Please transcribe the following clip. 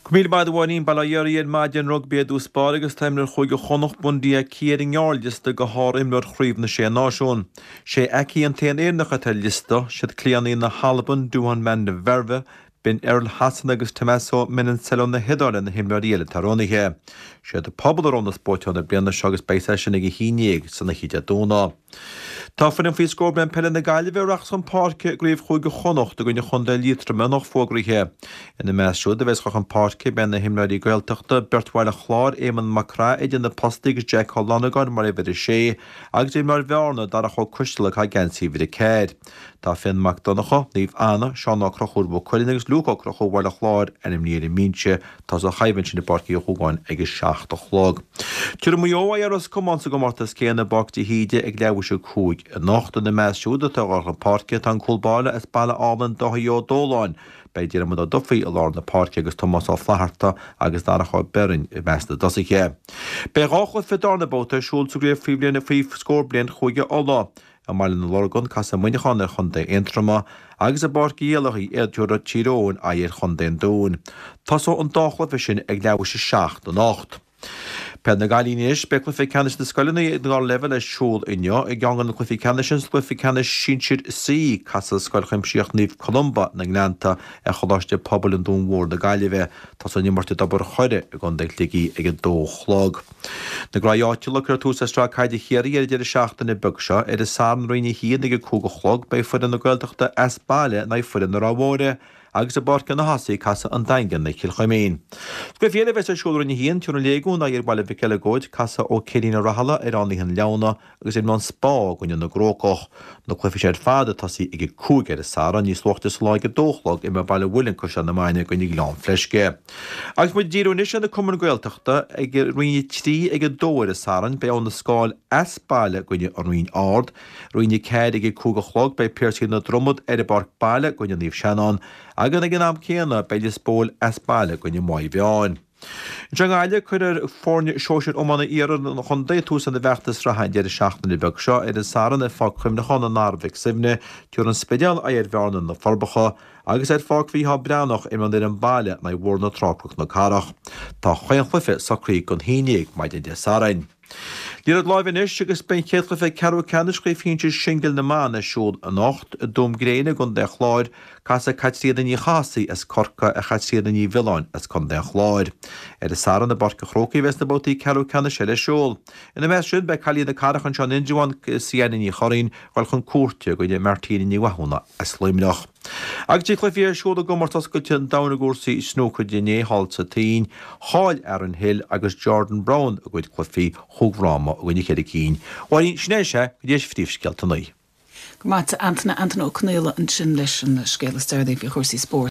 Go raibh míle maith agat a Mháirín, bail ó Dhia oraibh ar maidin rugbaí i dtús báire agus tá imreoir Chúige Chonnacht, Bundee Aki ar an ngearrliosta do shár-imreoir Chraobh na Sé Náisiún. Sé Aki an t-aon Éireannach atá ar an liosta, siad cliathánaí na hAlban, Duhan van der Merwe, Ben Earl Shasana agus Tommaso Menoncello na hIodáile na himreoirí eile atá roghnaithe. Siad an pobal a roghnós buaiteoir na bliana seo agus beidh sé sin ag 11 san oíche Dé Domhnaigh. Tá foireann faoi scór bliain peile na Gaillimhe a rachas chun páirce i gCraobh Chúige Chonnacht i gcoinne Chontae Liatroma anocht fógraithe. Ina measc siúd a bheas ag dul chun páirce beidh na himreoirí Gaeltachta, beirt Bhaile Chláir, Éamonn Mac Craith idir na postaí agus Jack Ó Longáin mar uimhir 6 agus imreoir Bhearna, Darach Ó Coisteala ag caitheamh geansaí uimhir 4. Tá Fionn Mac Donncha, Naomh Anna, Seán Ó Conchúir Mhaigh Cuilinn agus Luke Ó Conchúir Bhaile Chláir ainmnithe ar an mbinse. Tosóidh an choimhlint sin i bPáirc Uí Dhúgáin ag a 7 a chlog. Tabharfaidh Maigh Eo aghaidh ar Ros Comáin sa gcomórtas céanna i bPáirc de hÍde ag leathuair théis 5 anocht. Ina measc siúd atá ag dul chun páirce tá an cúl báire as Baile Álainn Dáithí Ó Dóláin. Beidh Diarmuid Ó Dufaigh i lár na páirce agus Tomás Ó Flatharta agus Darach Ó Beirn i measc na dtosaithe. Beidh 2 chluiche darna babhta ar siúl sa gcraobh faoi bhliain faoi scór bliain Chúige Uladh. I mBaile na Lorgan, casfaidh Muineachán ar Chontae Aontroma agus i bPáirc Uí Éallaithe tabharfaidh Tír Eoghain aghaidh ar Chontae an Dúin. Tosóidh an dá chluiche sin ag leathuair théis 7 anocht. Peil na gCailíní anois, beidh cluiche ceannais na scoileanna ag an dara leibhéal ar siúl inniu. I gceann de na cluichí ceannais sin, sa gcluiche ceannais sinsir C, casfaidh Scoil Chuimsitheach Naomh Columba na nGleannta ar Choláiste Pobail an Dúin Mhóir na Gaillimhe. Tosóidh an imirt i dTobar Choire i gContae Shligigh ag 2 a chlog. Na graí áitiúla, Cuirfear tús le Sraith Caide Chiarraí ar an deireadh seachtaine beag seo. Ar an Satharn, Roinn 1 ag 5 a chlog, beidh foireann na Gaeltachta as baile in aghaidh foireann na Ráth Mhóire agus i bPáirc an Chathasaigh casfaidh an Daingean ar Chill Chuimín. Sa gcluiche eile a bheas ar siúl i Roinn 1, tabharfaidh an Léigiún aghaidh ar Bhaile Mhic Eileagóid, casfaidh Ó Céirín Ó Rathaille ar Fhánaithe an Leamhna agus imreoidh an Spá i gcoinne na gCrócach. Na cluichí seo ar fad ag tosaí ag 5 ar an Satharn, níos luaithe sa lá ag 2 a chlog imreoidh Baile an Mhuilinn Caisleán na Maine i gcoinne Ghleann Fleisce. Agus muid ag díriú anois ar na cumainn Gaeltachta, ag Roinn 3 ag 2 ar an Satharn, beidh Abha na Scáil as baile i gcoinne an Rinn Ard. Roinn 4 ag 5 a chlog beidh Piarsaigh na Dromad ar an bpáirc baile i gcoinne Naomh Seanán agus ag an am céanna beidh Lios Póil as baile i gcoinne Maigh Mheáin. Anseo i nGaillimh, cuirfidh foirne sóisir iomána iarthar an chontae tús lena bhfeachtas sraithe an deireadh seachtaine beag seo. Ar an Satharn, ar Pháirc Chuimhneacháin na Narbh ag Suibhne, tabharfaidh an Spidéal aghaidh ar Bhearna na Forbacha agus ar Pháirc Mhícheál Breathnach, imreoidh an fhoireann baile in aghaidh Bhóthar na Trá-Cnoc na Cathrach. Tá chaon chluiche socraithe don haon dhéag maidin Dé Sathairn. Liathróid láimhe anois agus beidh an chéad chluiche ceathrú ceannais Chraobh Shinsir Singil na mBan ar siúl anocht i dTuaim Gréine i gContae an Chláir. Casfaidh Caitríona Ní Chathasaigh as Corcaigh ar Chaitríona Ní Mhiolláin as Contae an Chláir. Ar an Satharn i bPáirc an Chrócaigh a bheas na babhtaí ceathrú ceannais eile ar siúl. Ina measc sin beidh cailín na Cathrach anseo in Indreabhán, Sienna Ní Churraoin, ag dul chun cúirte i gcoinne Martina Ní Mhathúna as Luimneach. Agus bhí cluichí ar siúl i gcomórtas oscailte an domhain i gcúrsaí snúcair inné thall sa tSín. Chaill Aaron Hill agus Jordan Brown a gcuid cluichí chúig fhráma i gcoinne cheithre cinn. Mháirín, sin é is ea go dtí phríomhscéalta an lae. Go raibh maith agat, Antaine. Antaine Ó Conaola ansin leis an scéal is deireanaí faoi chúrsaí spóirt.